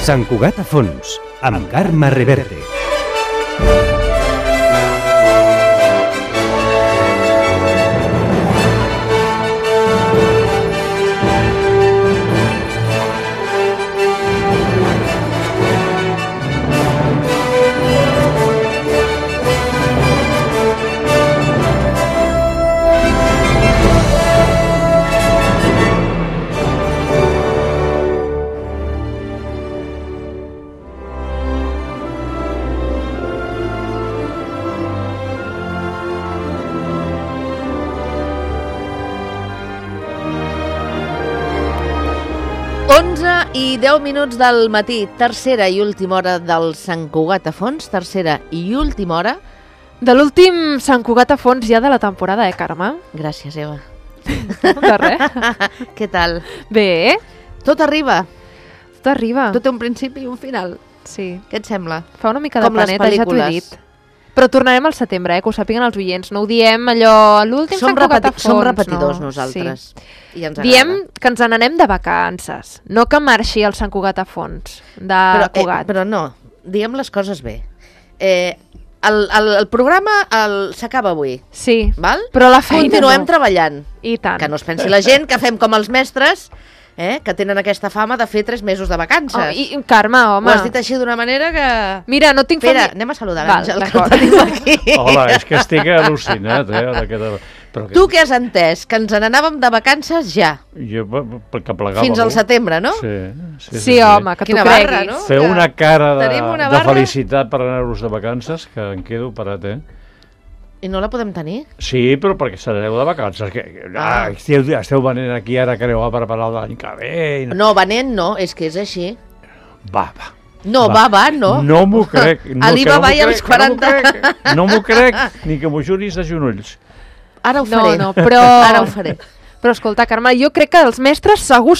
Sant Cugat a fons, amb Carme Reverte. I 10 minuts del matí, tercera i última hora del Sant Cugat a fons, tercera i última hora. De l'últim Sant Cugat a fons ja de la temporada, Carme? Gràcies, Eva. De res. Què tal? Bé. Tot arriba. Tot arriba. Tot té un principi i un final. Sí. Què et sembla? Fa una mica de planeta, ja t'ho he dit. Però tornarem al setembre, que ho sàpiguen els oients. No ho diem allò... L'últim Sant Cugat a fons. Som repetidors, no? Nosaltres. Sí. I ens diem que ens n'anem de vacances, no que marxi el Sant Cugat a fons de Cugat. Però no, diguem les coses bé. El programa s'acaba avui. Sí, val? Però la feina continuem treballant. I tant. Que no es pensi la gent que fem com els mestres, que tenen aquesta fama de fer 3 mesos de vacances. Oh, Carme, home. Ho has dit així d'una manera que... Mira, no tinc... Espera, anem a saludar l'Àngel, que el tenim aquí. Hola, és que estic al·lucinat, Però tu què has entès? Que ens n'anàvem de vacances ja? Jo, perquè plegava... Fins al setembre, no? Sí, home, que tu creguis. Barra, no? Feu una cara de felicitat per anar-vos de vacances, que em quedo parat, I no la podem tenir? Sí, però perquè sereu de vacances. Esteu venent aquí ara que aneu a preparar l'any que ve. No, venent no, és que és així. Va. No. No m'ho crec. Alibaba i els 40. No m'ho crec, ni que m'ho juris de genolls. Ara ho faré. No, però... Ara ho faré. Però escolta, Carme, jo crec que els mestres segur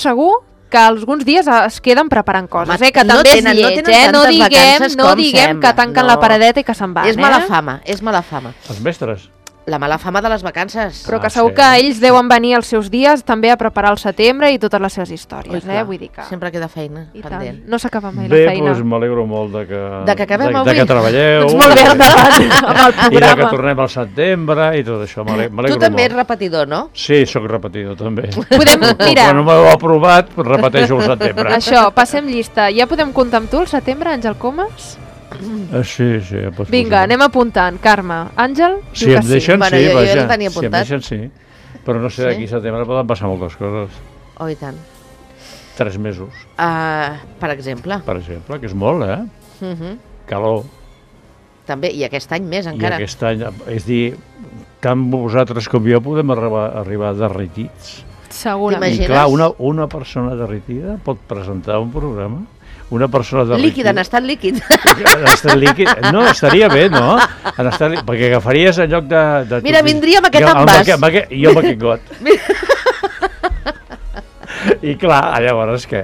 que alguns dies es queden preparant coses, que també és lleig, no diguem que tanquen la paradeta i que se'n van, És mala fama, és mala fama. Els mestres? La mala fama de les vacances. Però que segur que ells deuen venir els seus dies també a preparar el setembre i totes les seves històries, vull dir que... Sempre queda feina pendent. No s'acaba mai la feina. Bé, doncs m'alegro molt de que acabem avui. De que treballeu. Ets molt bé endavant amb el programa. I de que tornem al setembre i tot això, m'alegro molt. Tu també ets repetidor, no? Sí, sóc repetidor també. Mira... Quan no m'heu aprovat, repeteixo el setembre. Això, passem llista. Ja podem comptar amb tu el setembre, Àngel Comas? Sí. Vinga, anem apuntant. Carme, Àngel, si em deixen, bueno, jo ja el tenia apuntat. Si em deixen, sí. Però no sé, d'aquí a setembre poden passar moltes coses. Oh, i tant. 3 mesos. Per exemple. Per exemple, que és molt, Calor. També, i aquest any més encara. I aquest any, és dir, tant vosaltres com jo podem arribar derretits. Segurament. I clar, una persona derretida pot presentar un programa. Una persona derretida... Líquid, en estat líquid. En estat líquid. No, estaria bé, no? Perquè agafaries en lloc de... Mira, vindria amb aquest envàs. Jo amb aquest got. I clar, llavors què?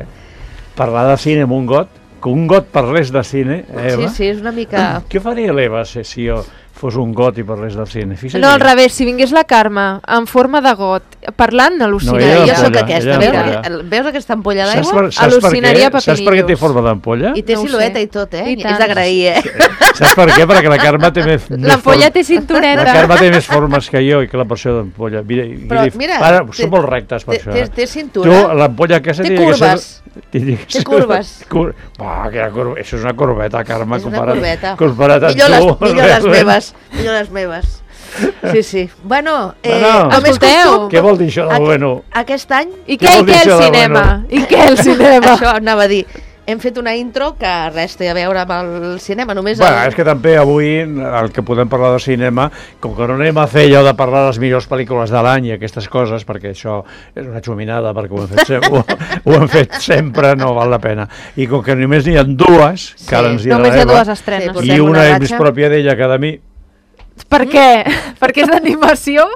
Parlar de cine amb un got, que un got parlés de cine, Eva? Sí, és una mica... Què faria l'Eva si jo fos un got i parlés del cine? No, al revés, si vingués la Carme en forma de got, parlant, al·lucinaria. Jo sóc aquesta, veus aquesta ampolla d'aigua? Al·lucinaria pepinillos. Saps per què té forma d'ampolla? I té silueta i tot, És d'agrair, Saps per què? Perquè la Carme té més... L'ampolla té cintureta. La Carme té més formes que jo i que la versió d'ampolla. Però mira... Són molt rectes per això. Té cintura. Tu, l'ampolla aquesta... Té curves. Té curves. Això és una corbeta, Carme, és una corbeta. Comparat amb tu. Millor les meves. Sí. Bueno, escolteu. Què vol dir això del bueno? Aquest any... I què el cinema? I què el cinema? Això anava a dir. Hem fet una intro que res té a veure amb el cinema, només... És que també avui el que podem parlar de cinema, com que no anem a fer allò de parlar de les millors pel·lícules de l'any i aquestes coses, perquè això és una xuminada, perquè ho hem fet sempre, no val la pena. I com que només n'hi ha 2, que ara ens dirà només hi ha 2 estrenes. I una és més pròpia d'ella que de mi. Per què? Perquè és d'animació?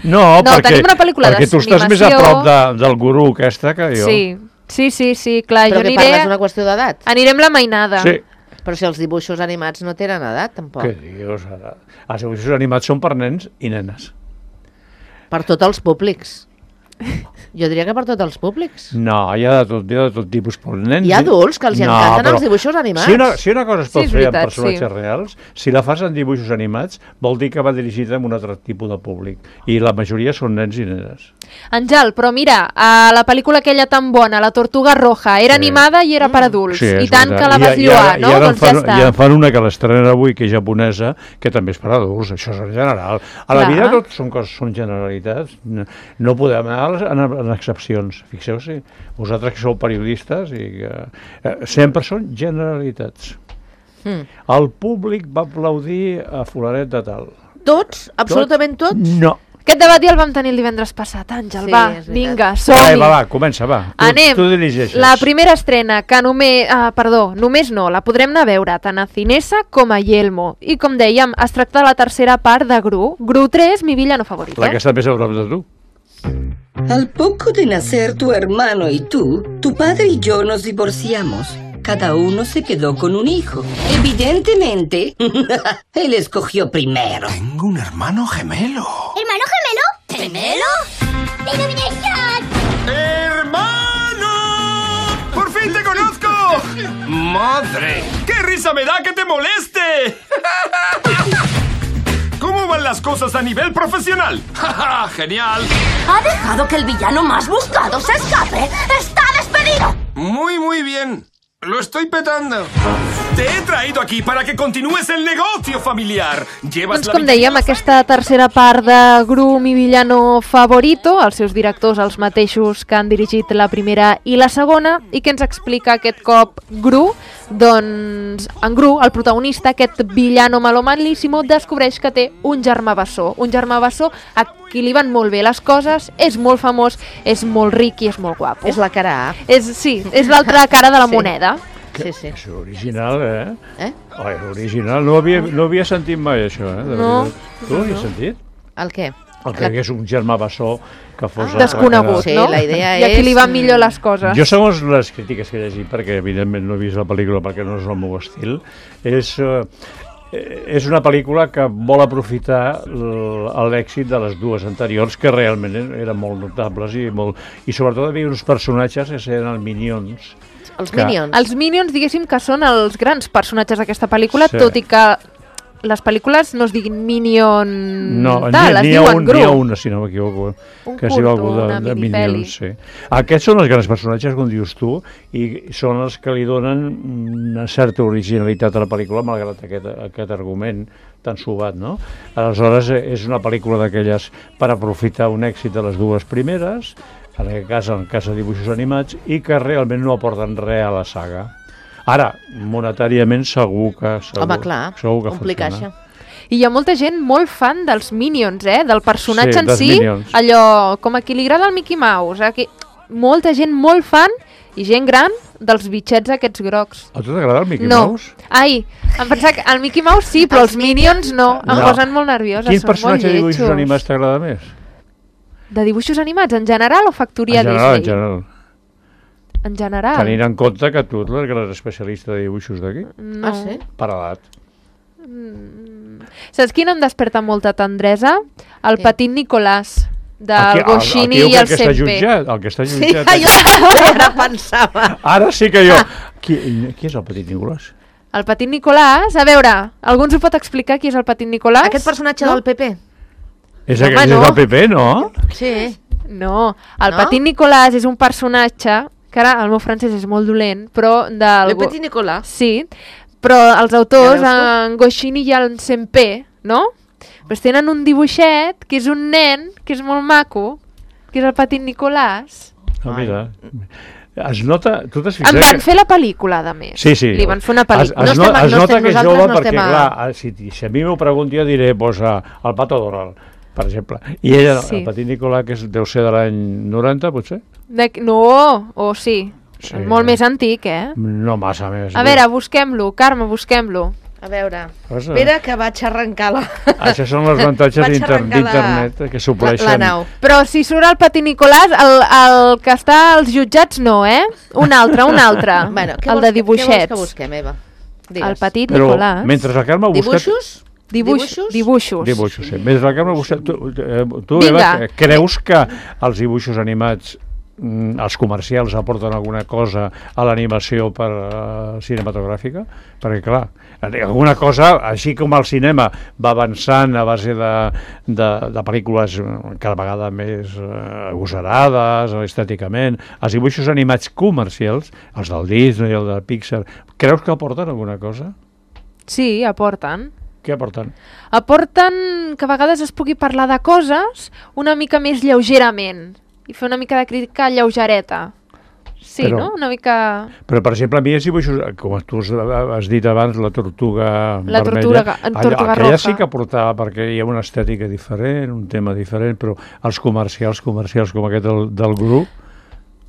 No, tenim una pel·lícula perquè tu estàs més a prop del gurú aquesta que jo. Sí, clar. Però què parles, una qüestió d'edat? Anirem la mainada. Sí. Però si els dibuixos animats no tenen edat, tampoc. Què dius ara? Els dibuixos animats són per nens i nenes. Per tots els públics. Jo diria que per tots els públics. No, hi ha de tot tipus. Nens, hi ha adults que els encanten els dibuixos animats. Si una cosa es pot fer amb personatges reals, si la fas en dibuixos animats, vol dir que va dirigida a un altre tipus de públic. I la majoria són nens i nenes. Àngel, però mira, la pel·lícula aquella tan bona, La Tortuga Roja, era animada i era per adults. I tant que la vas lloar, no? Doncs ja està. I en fan una que l'estrenen avui, que és japonesa, que també és per adults. Això és en general. A la vida tot són generalitats. No podem anar en excepcions. Fixeu-s'hi, vosaltres que sou periodistes i sempre són generalitats. El públic va aplaudir a fulanet de tal. Tots? Absolutament tots? No. Aquest debat ja el vam tenir el divendres passat, Àngel, va, vinga, som-hi. Va, comença, va. Anem. Tu dirigeixes. La primera estrena, que només no, la podrem anar a veure tant a Cinesa com a Yelmo. I com dèiem, es tracta de la tercera part de Gru. Gru 3, mi villano favorito. La que està més a prop de tu. Al poco de nacer tu hermano y tú, tu padre y yo nos divorciamos. Cada uno se quedó con un hijo. Evidentemente, él escogió primero. Tengo un hermano gemelo. ¿Hermano gemelo? ¿Gemelo? ¡Illumination! ¡Hermano! ¡Por fin te conozco! ¡Madre! ¡Qué risa me da que te moleste! ¿Cómo van las cosas a nivel profesional? ¡Ja, genial! ¿Ha dejado que el villano más buscado se escape? ¡Está despedido! Muy bien. Lo estoy petando. Te he traído aquí para que continúes el negocio familiar. Doncs com dèiem, aquesta tercera part de Gru, mi villano favorito, els seus directors els mateixos que han dirigit la primera i la segona, i que ens explica aquest cop Gru. Doncs en Gru, el protagonista, aquest villano malo malíssimo, descobreix que té un germà bessó. Un germà bessó a qui li van molt bé les coses, és molt famós, és molt ric i és molt guapo. És la cara A. És l'altra cara de la moneda. Sí. És original, és original. No havia sentit mai això, No. Tu ho havies sentit? El què? El que és un germà bessó que fos... Desconegut, sí, no? La idea I a qui li van millor les coses. Jo, segons les crítiques que he llegit, perquè evidentment no he vist la pel·lícula perquè no és el meu estil, és una pel·lícula que vol aprofitar l'èxit de les dues anteriors, que realment eren molt notables i sobretot hi havia uns personatges que eren els Minions. Els Minions, diguéssim, que són els grans personatges d'aquesta pel·lícula, tot i que les pel·lícules no es diguin Minion es diuen Gru. N'hi ha una, si no m'equivoco, que es diu algú de Minions. Sí. Aquests són els grans personatges, com dius tu, i són els que li donen una certa originalitat a la pel·lícula, malgrat aquest argument tan subat, no? Aleshores, és una pel·lícula d'aquelles per aprofitar un èxit de les dues primeres, en aquest cas de dibuixos animats, i que realment no aporten res a la saga. Ara, monetàriament segur que funciona. I hi ha molta gent molt fan dels Minions, del personatge en si, Minions. Allò com a qui li agrada el Mickey Mouse. Molta gent molt fan i gent gran dels bitxets aquests grocs. A tu t'agrada el Mickey Mouse? Ai, em pensava que el Mickey Mouse sí, però els Minions no. Em posen molt nerviosa. Quin personatge de dibuixos animats t'agrada més? De dibuixos animats, en general o factoria Disney? En general. En general. Tenint en compte que tu ets el gran especialista de dibuixos d'aquí. No. Ah, sí? Per edat. Saps quin em desperta molta tendresa? El petit Nicolàs, del Goscinny i el Sempre. El que està jutjat. Sí, jo ara pensava. Ara sí que jo... Qui és el petit Nicolàs? El petit Nicolàs, a veure, algú ens ho pot explicar qui és el petit Nicolàs? Aquest personatge del PP. És del PP, no? Sí. No, el petit Nicolàs és un personatge que ara el meu francès és molt dolent, però Le petit Nicolàs. Sí, però els autors, en Goscinny i en Sempre, no? Pues tenen un dibuixet que és un nen, que és molt maco, que és el petit Nicolàs. Ah, mira. Es nota... Tu t'has fixat? En van fer la pel·lícula, a més. Sí. Li van fer una pel·lícula. Es nota que és jove perquè, clar, si a mi m'ho pregunti jo diré, el Pato Donald, per exemple. I ella, el petit Nicolàs, que deu ser de l'any 90, potser? No, sí. Molt més antic, No massa més. A veure, busquem-lo, Carme, busquem-lo. A veure, espera que vaig arrencar la... Això són els avantatges d'internet, que supleixen... La nau. Però si surt el petit Nicolàs, el que està als jutjats no, Un altre. Bueno, el de dibuixets. Què vols que busquem, Eva? Digues. El petit Nicolàs. Però mentre la Carme busca... Dibuixos? Dibuixos? Dibuixos, sí. Més la Carme, tu Vinga. Eva, creus que els dibuixos animats, els comercials, aporten alguna cosa a l'animació cinematogràfica? Perquè, clar, alguna cosa, així com el cinema va avançant a base de pel·lícules cada vegada més agosarades, estèticament, els dibuixos animats comercials, els del Disney, el del Pixar, creus que aporten alguna cosa? Sí, aporten. Què aporten? Aporten que a vegades es pugui parlar de coses una mica més lleugerament i fer una mica de crítica lleugereta. Sí, Però- no? Una mica... Però, per exemple, a mi els dibuixos, com tu has dit abans, la tortuga La vermella, tortuga aquella roja. sí que aportava, perquè hi ha una estètica diferent, un tema diferent, però els comercials com aquest del grup,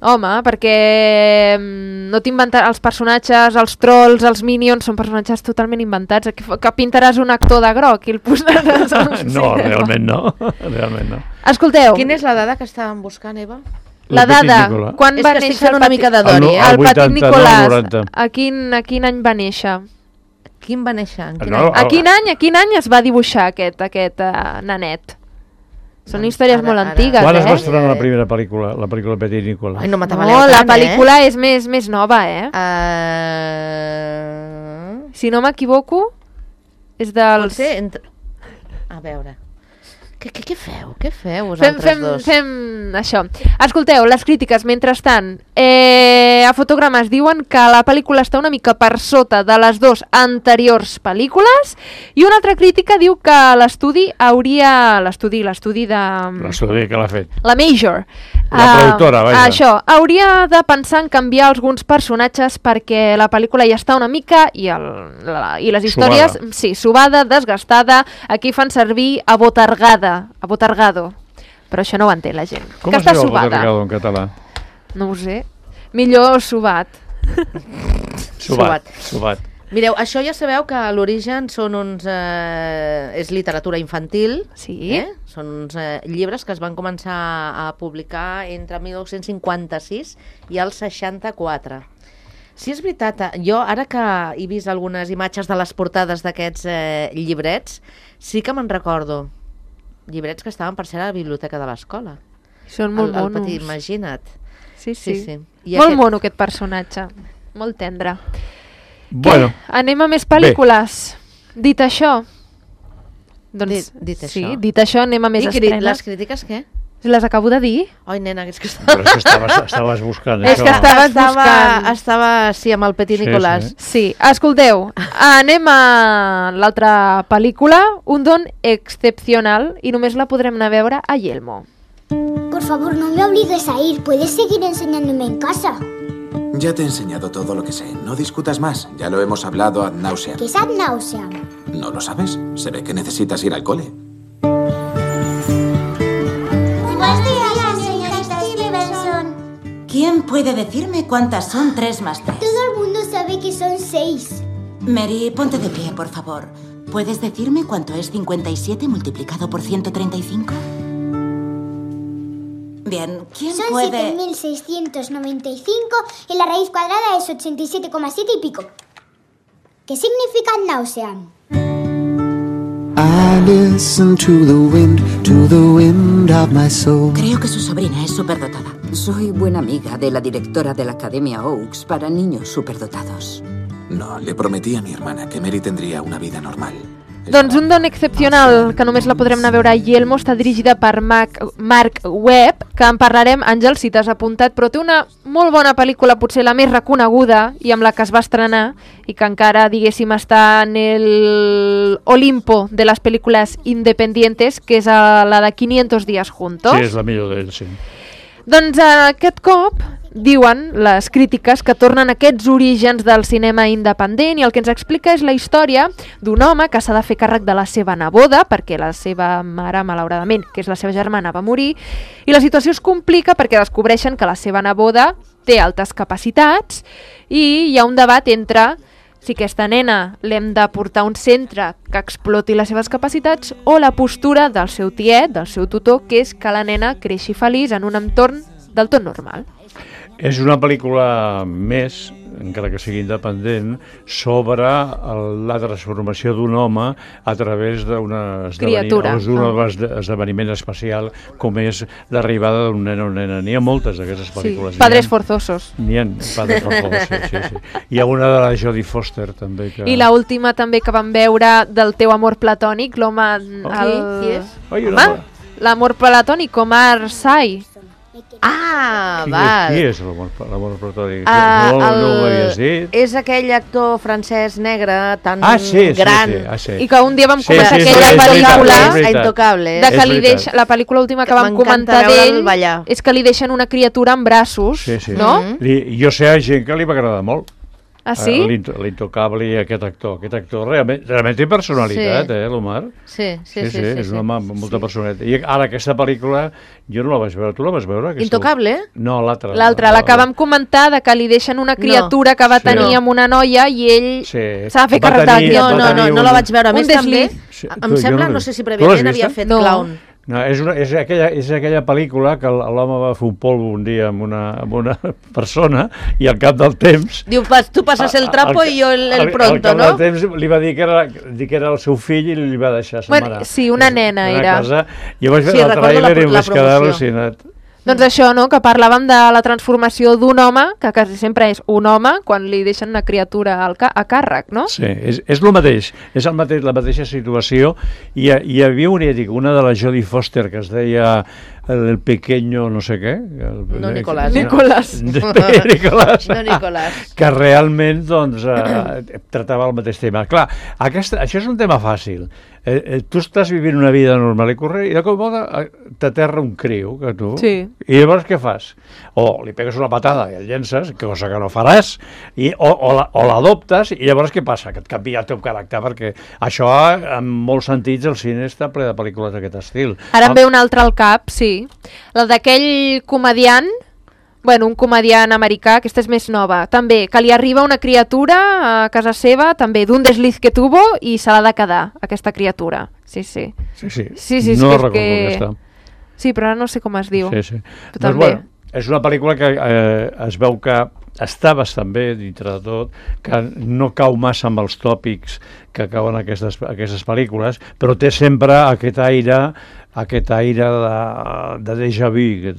Home, perquè no t'inventaràs els personatges, els trolls, els minions, són personatges totalment inventats. Que pintaràs un actor de groc i el posaràs al no, cinema. realment no. Realment no. Escolteu, Quina és la dada que estàvem buscant, Eva? la El Petit dada, Nicola. quan És va que estic néixer fent una mica de Dori, El el petit 89, Nicolàs, 90. a quin any va néixer? Quin va néixer? En quin No, any? A quin any es va dibuixar aquest nanet? Són històries Ara- molt ara- antigues, Quan es va eh? estrenar la primera pel·lícula, la pel·lícula Petit Nicola? Ai, no No, m'atabaleu la tant, pel·lícula és més nova, eh? Si no m'equivoco, és dels... Potser entre... A veure... Què feu? Què feu vosaltres dos? Fem això. Escolteu, les crítiques, mentrestant, a Fotogrames diuen que la pel·lícula està una mica per sota de les dues anteriors pel·lícules i una altra crítica diu que l'estudi hauria... L'estudi de... L'estudi que l'ha fet. La Major. La productora, vaja. Això, hauria de pensar en canviar alguns personatges perquè la pel·lícula ja està una mica i les històries, Subada. sí, subada, desgastada, aquí fan servir abotargado, però això no ho entén la gent. Com que es està diu el subada. botargado en català? No ho sé. Millor subat. Subat. Mireu, això ja sabeu que a l'origen són uns... és literatura infantil. Sí. Són uns llibres que es van començar a publicar entre 1956 i el 64. Sí, és veritat, jo ara que he vist algunes imatges de les portades d'aquests llibrets, sí que me'n recordo. Llibrets que estaven per ser a la biblioteca de l'escola. Són molt El monos. petit, imagina't. Sí. I Molt mono aquest personatge. Molt tendre. Bueno, Què? Anem a més pel·lícules. Dit això... Doncs, Dit sí, això. dit això, anem a més les estrenes. crítiques què? Les acabo de dir. Oi, nena, és que però és que estaves buscant És això. que estaves buscant. Estava, sí, amb el Petit Sí, Nicolàs. Sí, escolteu, anem a l'altra pel·lícula, Un don excepcional, i només la podrem anar a veure a Yelmo. Por favor, no me obligues a ir. Puedes seguir enseñándome en casa. Ya te he enseñado todo lo que sé. No discutas más. Ya lo hemos hablado ad nauseam. ¿Qué es ad nauseam? ¿No lo sabes? Se ve que necesitas ir al cole. Buenos días, señorita Stevenson. ¿Quién puede decirme cuántas son 3 más 3? Todo el mundo sabe que son 6. Mary, ponte de pie, por favor. ¿Puedes decirme cuánto es 57 multiplicado por 135? Bien, ¿quién Son puede...? 7.695 y la raíz cuadrada es 87,7 y pico. ¿Qué significa ad nauseam? I listen to the wind of my soul. Creo que su sobrina es superdotada. Soy buena amiga de la directora de la Academia Oaks para niños superdotados. No, le prometí a mi hermana que Mary tendría una vida normal. Doncs Un don excepcional, que només la podrem anar a veure a Yelmo, està dirigida per Mark Webb, que en parlarem, Àngel, si t'has apuntat, però té una molt bona pel·lícula, potser la més reconeguda, i amb la que es va estrenar, i que encara, diguéssim, està en el Olimpo de les pel·lícules independientes, que és la de 500 días juntos. Sí, és la millor d'ell, sí. Doncs aquest cop diuen les crítiques que tornen aquests orígens del cinema independent i el que ens explica és la història d'un home que s'ha de fer càrrec de la seva neboda perquè la seva mare, malauradament, que és la seva germana, va morir i la situació es complica perquè descobreixen que la seva neboda té altes capacitats i hi ha un debat entre si aquesta nena l'hem de portar a un centre que exploti les seves capacitats o la postura del seu tiet, del seu tutor, que és que la nena creixi feliç en un entorn del tot normal. És una pel·lícula més encara que sigui independent, sobre la transformació d'un home a través d'un esdeveniment especial com és l'arribada d'un nen o nena. N'hi ha moltes d'aquestes pel·lícules. Padres forzosos. N'hi ha Padres forzosos, sí. Hi ha una de la Jodie Foster també. I l'última també que vam veure del teu amor platònic, l'home... Qui és? L'amor platònic, Omar Sy. Qui és l'amor platònic? No ho havies dit? És aquell actor francès negre tan gran. I que un dia vam comentar aquella pel·lícula Intocable. La pel·lícula última que vam comentar d'ell és que li deixen una criatura en braços, no? Jo sé gent que li va agradar molt. Ah, sí? L'Intocable i aquest actor. Aquest actor realment té personalitat, l'Omar? Sí. És un home amb molta personalitat. I ara aquesta pel·lícula jo no la vaig veure. Tu la vas veure? Intocable? No, l'altra. L'altra, la que vam comentar de que li deixen una criatura que va tenir amb una noia i ell s'ha fet carretar. No la vaig veure. A més també, em sembla, no sé si prèviament havia fet Clown. No, és aquella pel·lícula que l'home va fer un polvo un dia amb una persona i al cap del temps... Diu, tu passes el trapo i jo el pronto, no? Al cap del temps li va dir que era el seu fill i li va deixar sa mare. Sí, una nena era. Jo vaig veure el tràiler i em vaig quedar al·lucinat. Doncs això, no?, que parlàvem de la transformació d'un home, que quasi sempre és un home, quan li deixen una criatura a càrrec, no? Sí, és el mateix, és la mateixa situació. Hi havia una de la Jodie Foster que es deia el pequeño no sé què. No Nicolás. Que realment doncs, tractava el mateix tema. Clar, això és un tema fàcil. Tu estàs vivint una vida normal i corrent i de cop t'aterra un criu que tu, i llavors què fas? O li pegues una patada i el llences, cosa que no faràs, o l'adoptes i llavors què passa? Que et canvia el teu caràcter, perquè això en molts sentits el cine està ple de pel·lícules d'aquest estil. Ara em ve un altre al cap, sí, la d'aquell comediant, un comediant americà, aquesta és més nova, també, que li arriba una criatura a casa seva, també d'un desliz que tuvo, i se l'ha de quedar, aquesta criatura. Sí. No recordo aquesta. Sí, però ara no sé com es diu. Sí. També. És una pel·lícula que es veu que està bastant bé, dintre de tot, que no cau massa amb els tòpics que cauen aquestes pel·lícules, però té sempre aquest aire de déjà vu,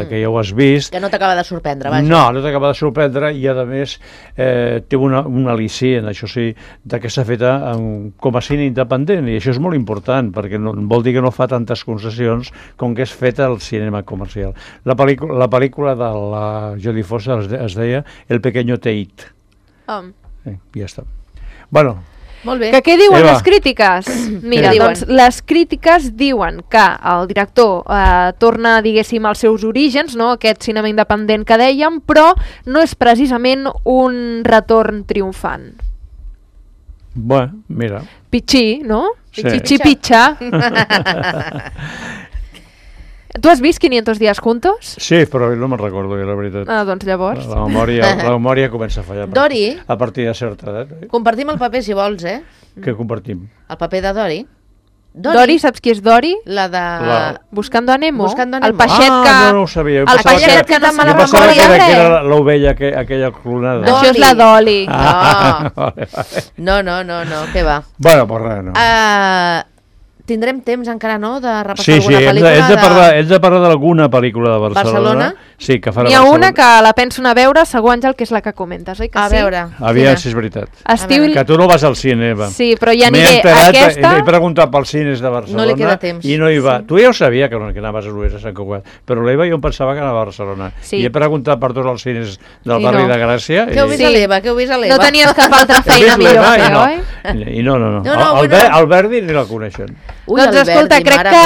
que ja ho has vist. Que no t'acaba de sorprendre, vaja. No t'acaba de sorprendre i, a més, té un al·licient, això sí, que s'ha feta com a cine independent, i això és molt important, perquè vol dir que no fa tantes concessions com que és feta al cinema comercial. La pel·lícula de la Jodie Foster es deia El pequeño Tate. Ja està. Bueno... Molt bé. Que què diuen les crítiques? Mira, doncs les crítiques diuen que el director torna, diguéssim, als seus orígens, no? Aquest cinema independent que dèiem, però no és precisament un retorn triomfant. Bueno, mira. Pitxí, no? Sí. Pitxí-pitxa. Tu has vist 500 días juntos? Sí, però no me'n recordo, la veritat. Doncs llavors... La memòria comença a fallar. Dori? A partir de certa edat. Compartim el paper, si vols, Què compartim? El paper de Dori. Dori, saps qui és Dori? La de... Buscando a Nemo. El peixet que... no ho sabia. El peixet que no me la pensava que era l'ovella aquella clonada. Això és la Dolly. No, què va. Bueno, pues res, no. Tindrem temps encara, no?, de repassar alguna pel·lícula? Sí, hem de parlar d'alguna pel·lícula de Barcelona. Sí, que farà N'hi ha una que la penso anar a veure, segur, Àngel, que és la que comentes, oi que sí? A veure. Aviam, si és veritat. Que tu no vas al cine, Eva. Sí, però ja aniré a aquesta... He preguntat pels cines de Barcelona. No li queda temps. I no hi va. Tu ja ho sabia que anaves a Sant Cugat, però l'Eva jo em pensava que anava a Barcelona. I he preguntat per tots els cines del barri de Gràcia. Què heu vist a l'Eva? No tenies cap altra feina millor a fer, oi? I no. El Verdi ni la coneixen. Doncs escolta, crec que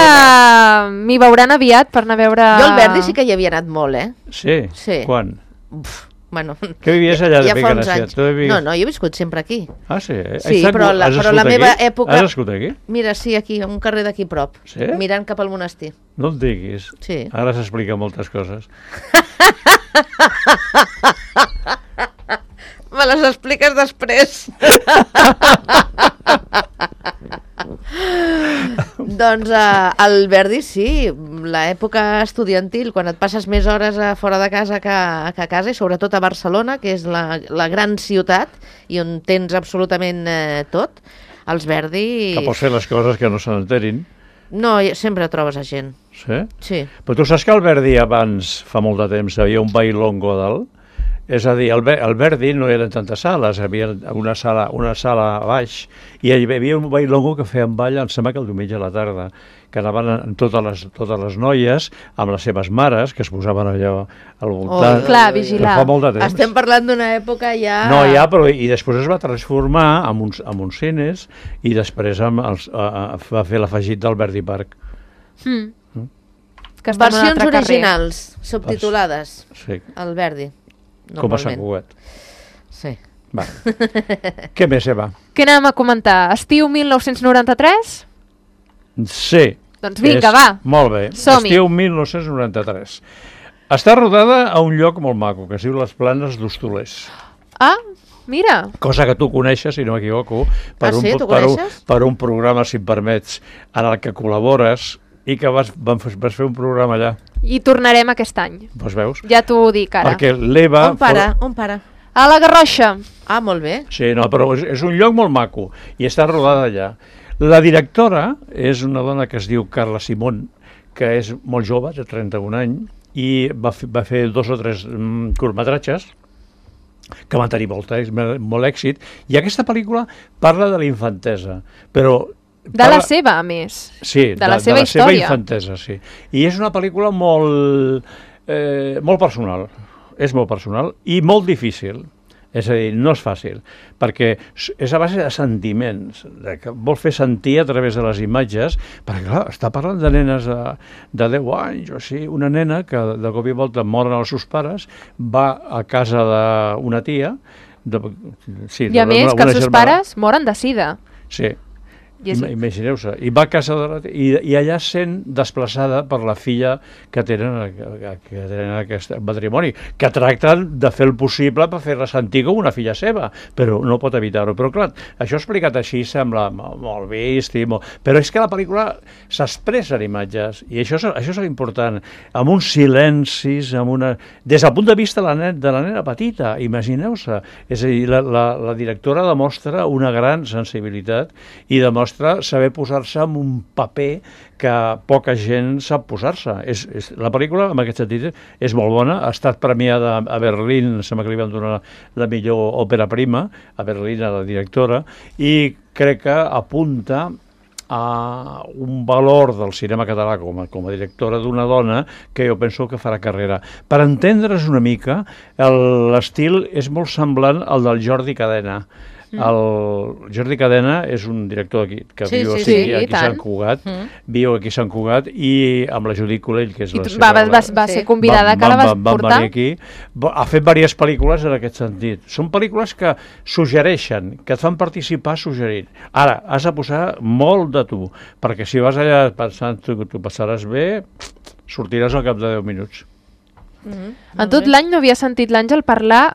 m'hi veuran aviat per anar a veure... Jo al Verdi sí que hi havia anat molt, Sí? Quan? Bueno... Que vivies allà de Gràcia? No, jo he viscut sempre aquí. Ah, sí? Sí, però la meva època... Has nascut aquí? Mira, sí, aquí, a un carrer d'aquí prop. Sí? Mirant cap al monestir. No et diguis. Sí. Ara s'explica moltes coses. Me les expliques després. Doncs el Verdi sí, l'època estudiantil, quan et passes més hores a fora de casa que a casa, i sobretot a Barcelona, que és la gran ciutat i on tens absolutament tot, els Verdi... Que pots fer les coses que no se n'enterin. No, sempre trobes a gent. Sí? Sí. Però tu saps que al Verdi abans, fa molt de temps, hi havia un bailongo a dalt? És a dir, al Verdi no eren tantes sales, hi havia una sala a baix, i hi havia un bailongo que feien ball, em sembla que el diumenge a la tarda, que anaven totes les noies amb les seves mares, que es posaven allò al voltant. Clar, vigilar. Fa molt de temps. Estem parlant d'una època ja... No, ja, però i després es va transformar en uns cines i després va fer l'afegit del Verdi Park. Versions originals, subtitulades. Sí. El Verdi. Com a Sant Cugat. Sí. Va. Què més, Eva? Què anem a comentar? Estiu 1993? Sí. Doncs vinga, va. Molt bé. Som-hi. Estiu 1993. Està rodada a un lloc molt maco, que es diu les Planes d'Hostolers. Ah, mira. Cosa que tu coneixes, si no m'equivoco, per un programa, si em permets, en el que col·labores i que vas fer un programa allà. I tornarem aquest any. Doncs veus? Ja t'ho dic ara. Perquè l'Eva... On para? A la Garroxa. Ah, molt bé. Sí, no, però és un lloc molt maco i està rodada allà. La directora és una dona que es diu Carla Simón, que és molt jove, de 31 anys, i va fer 2 o 3 curtmetratges que van tenir molt èxit, i aquesta pel·lícula parla de la infantesa, però... la seva, a més. Sí, de la seva història. Seva infantesa, sí. I és una pel·lícula molt personal. És molt personal i molt difícil. És a dir, no és fàcil, perquè és a base de sentiments, que vol fer sentir a través de les imatges, perquè clar, està parlant de nenes de 10 anys o així, una nena que de cop i volta moren els seus pares, va a casa d'una tia... I a més que els seus pares moren de sida. Sí. Imagineu-se, i va a casa de la tia, i allà sent desplaçada per la filla que tenen aquest matrimoni, que tracten de fer el possible per fer-la sentir com una filla seva, però no pot evitar-ho. Però clar, això explicat així sembla molt vist, però és que la pel·lícula s'expressa en imatges, i això és l'important, amb uns silencis, des del punt de vista de la nena petita, imagineu-se. És a dir, la directora demostra una gran sensibilitat i demostra saber posar-se en un paper que poca gent sap posar-se. La pel·lícula, en aquest sentit, és molt bona, ha estat premiada a Berlín, sembla que li van donar la millor òpera prima, a Berlín, a la directora, i crec que apunta a un valor del cinema català com a directora d'una dona que jo penso que farà carrera. Per entendre's una mica, l'estil és molt semblant al del Jordi Cadena. El Jordi Cadena és un director aquí, que viu aquí a Sant Cugat, viu aquí a Sant Cugat, i amb la Judit Colell, que és la seva... Va ser convidada, que la vas portar. Van venir aquí. Ha fet diverses pel·lícules en aquest sentit. Són pel·lícules que suggereixen, que et fan participar suggerint. Ara, has de posar molt de tu, perquè si vas allà pensant que tu passaràs bé, sortiràs al cap de 10 minuts. En tot l'any no havia sentit l'Àngel parlar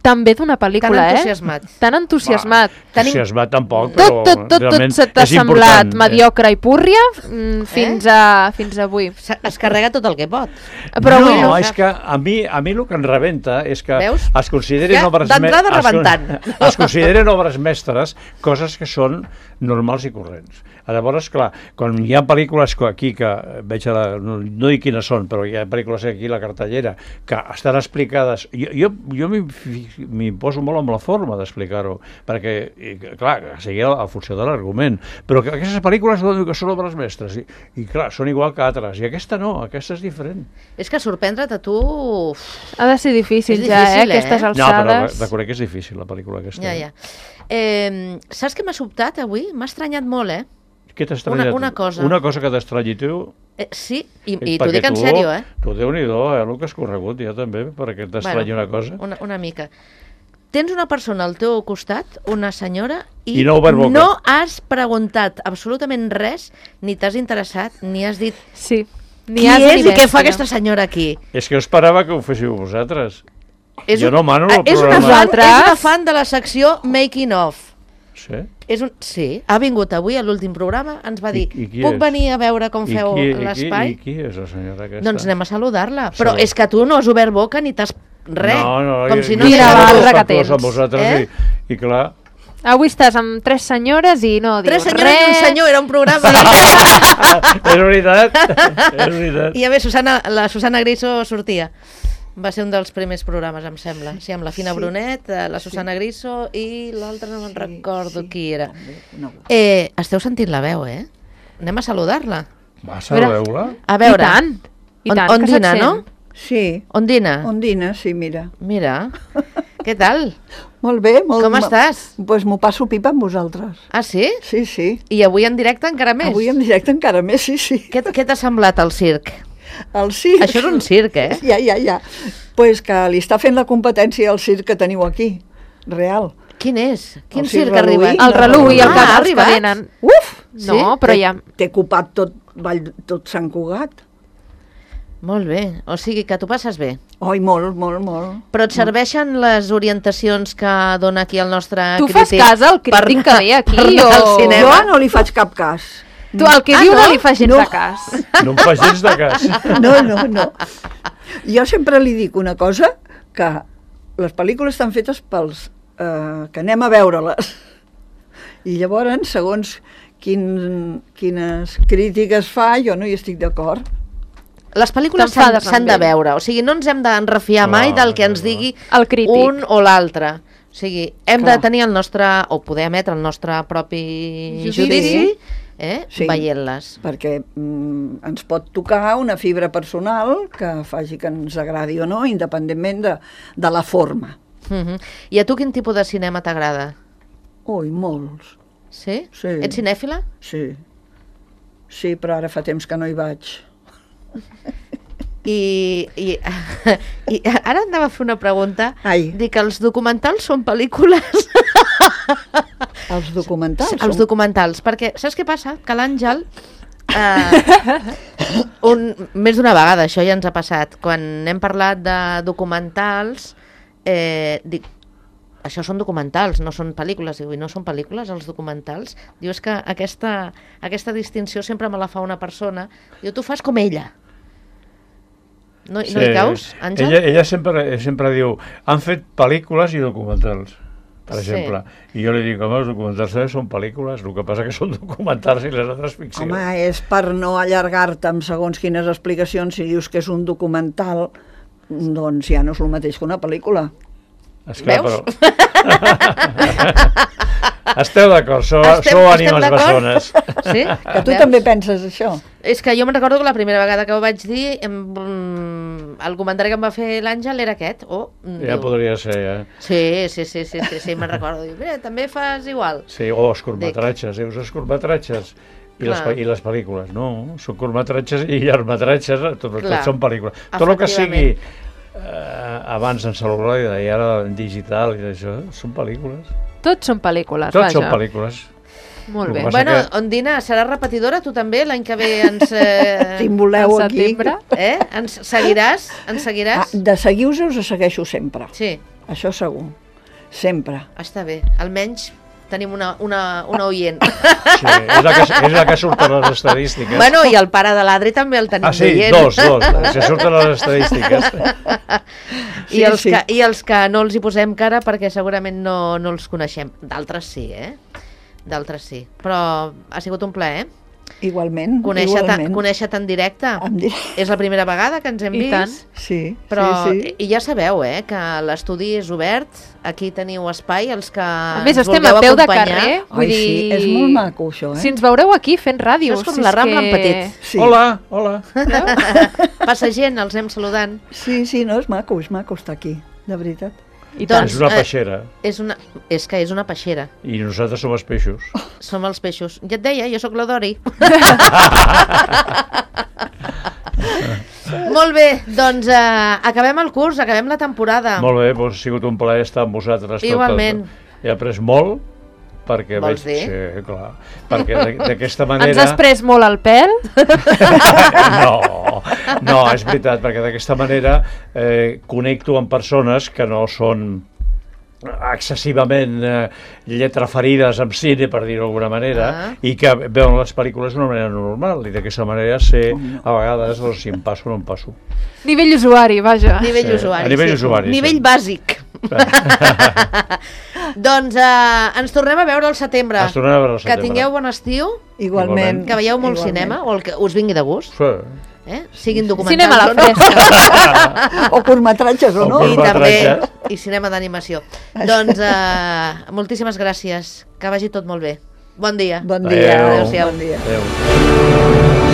també d'una pel·lícula, Tan entusiasmat. Tan entusiasmat. Entusiasmat tampoc, però tot se t'ha semblat mediocre i púrria fins avui. Es carrega tot el que pot. Però avui no. És que a mi el que em rebenta és que es consideren obres mestres coses que són normals i corrents. Llavors, clar, quan hi ha pel·lícules aquí que veig, no dic quines són, però hi ha pel·lícules aquí a la cartellera que estan explicades, jo m'hi poso molt amb la forma d'explicar-ho, perquè, clar, sigui a funció de l'argument, però que aquestes pel·lícules que són obres mestres, i clar, són igual que altres, i aquesta no, aquesta és diferent. És que sorprendre't a tu... Ha de ser difícil ja, aquestes alçades. No, però reconec que és difícil la pel·lícula aquesta. Ja. Saps què m'ha sobtat avui? M'ha estranyat molt, Què t'ha estranyat? Una cosa. Una cosa que t'estranyi tu? Sí, i t'ho dic en sèrio, Tu Déu-n'hi-do, el que has corregut ja també, perquè t'estranyi una cosa. Una mica. Tens una persona al teu costat, una senyora, i no has preguntat absolutament res, ni t'has interessat, ni has dit... Sí. Qui és i què fa aquesta senyora aquí? És que jo esperava que ho féssiu vosaltres. És jo no mano el és programa. una fan de la secció Making Of. Sí, ha vingut avui a l'últim programa, ens va dir, I qui puc és? venir a veure com feu l'espai? I qui és la senyora aquesta? Doncs anem a saludar-la. Però és que tu no has obert boca ni t'has... Res, com si no... Mira la barra que tens. Amb vosaltres i clar... Avui estàs amb 3 senyores i no dius res. 3 senyores i un senyor, era un programa. És veritat, és veritat. I a més, la Susana Griso sortia. Va ser un dels primers programes, em sembla. Sí, amb la Fina Brunet, la Susana Griso i l'altre no me'n recordo qui era. Esteu sentint la veu, Anem a saludar-la. Va, saludeu-la. A veure. I tant, Ondina, no? Sí. Ondina. Ondina, sí, mira. Mira. Què tal? Molt bé. Com estàs? Doncs m'ho passo pipa amb vosaltres. Ah, sí? Sí, sí. I avui en directe encara més? Avui en directe encara més, sí, sí. Què t'ha semblat el circ? El circ... Això és un circ, Ja. Pues que li està fent la competència al circ que teniu aquí, real. Quin és? Quin El circ ha arribat? El Relú i el Carles ha arribat? que venen. Uf! No, però ja... T'he copat tot Sant Cugat. Molt bé, o sigui que tu passes bé. Oi, molt, molt, molt. Però et serveixen les orientacions que dona aquí el nostre crític? Tu fas cas al crític que ve aquí o... Jo no li faig cap cas. Tu el que diu no li fa gens de cas. No em fa gens de cas. No. Jo sempre li dic una cosa, que les pel·lícules estan fetes pels que anem a veure-les. I llavors, segons quines crítiques fa, jo no hi estic d'acord. Les pel·lícules s'han de veure, o sigui, no ens hem d'enrefiar mai del que ens digui un o l'altre. O sigui, hem de tenir el nostre, o poder emetre el nostre propi judici, veient-les. Perquè ens pot tocar una fibra personal que faci que ens agradi o no, independentment de la forma. I a tu quin tipus de cinema t'agrada? Ui, molts. Sí? Ets cinèfila? Sí. Sí, però ara fa temps que no hi vaig. I ara anava a fer una pregunta. Dic que els documentals són pel·lícules. Els documentals? Els documentals, perquè saps què passa? Que l'Àngel més d'una vegada, això ja ens ha passat, quan hem parlat de documentals, dic, això són documentals, no són pel·lícules. Diu, i no són pel·lícules, els documentals? Diu, és que aquesta distinció sempre me la fa una persona. Diu, tu fas com ella. No hi caus, Àngel? Ella sempre diu, han fet pel·lícules i documentals, per exemple. I jo li dic, home, els documentals són pel·lícules, el que passa que són documentals i les altres ficcions. Home, és per no allargar-te amb segons quines explicacions. Si dius que és un documental, doncs ja no és el mateix que una pel·lícula. Esclar, però... Esteu d'acord, sou ànimes bessones. Sí? Que tu també penses això? És que jo me'n recordo que la primera vegada que ho vaig dir, el comentari que em va fer l'Àngel era aquest. Ja podria ser, Sí, me'n recordo. Diu, mira, també fas igual. Sí, o els curtmetratges, dius, els curtmetratges. I les pel·lícules, no, són curtmetratges i llargmetratges, tot són pel·lícules. Tot el que sigui abans en cel·luloide i ara en digital i això, són pel·lícules. Tots són pel·lícules, vaja. Tots són pel·lícules. Molt bé. Bueno, Ondina, seràs repetidora tu també? L'any que ve ens... Si em voleu aquí. Ens seguiràs? De seguir-vos us segueixo sempre. Sí. Això segur. Sempre. Està bé. Almenys tenim una oient. Sí, és la que surt a les estadístiques. Bueno, i el pare de l'Adri també el tenim oient. Dos, que surten a les estadístiques. I els que no els hi posem cara perquè segurament no els coneixem. D'altres sí, D'altres sí. Però ha sigut un plaer, Igualment. Conèixer-te en directe. És la primera vegada que ens hem vist. Tant. Sí. Però, i ja sabeu, que l'estudi és obert. Aquí teniu espai, els que a més, estem a peu de carrer. Vull dir... Sí, és molt maco, això, Si ens veureu aquí fent ràdio. Això és com la Rambla en petit. Sí. Hola. Passa gent, els hem saludant. Sí, no, és maco estar aquí, de veritat. Doncs, és una peixera. És que és una peixera. I nosaltres som els peixos. Som els peixos. Ja et deia, jo sóc la Dori. Molt bé, doncs acabem el curs, acabem la temporada. Molt bé, doncs ha sigut un plaer estar amb vosaltres. Igualment. He après molt, perquè vols dir? Sí, clar. Perquè d'aquesta manera... Ens has pres molt al pèl? No, és veritat, perquè d'aquesta manera connecto amb persones que no són excessivament lletraferides amb cine, per dir-ho d'alguna manera, i que veuen les pel·lícules d'una manera normal, i d'aquesta manera sé, a vegades, si em passo o no em passo. Nivell usuari, vaja. Nivell usuari, usuari, nivell bàsic. Doncs ens tornem a veure al setembre. Que tingueu bon estiu. Igualment. Que veieu molt cinema, o el que us vingui de gust. Siguin documentals cinema a la fresca. O curtmetratges o no. I també cinema d'animació. Doncs moltíssimes gràcies. Que vagi tot molt bé. Bon dia. Bon dia. Adéu-siau. Bon dia.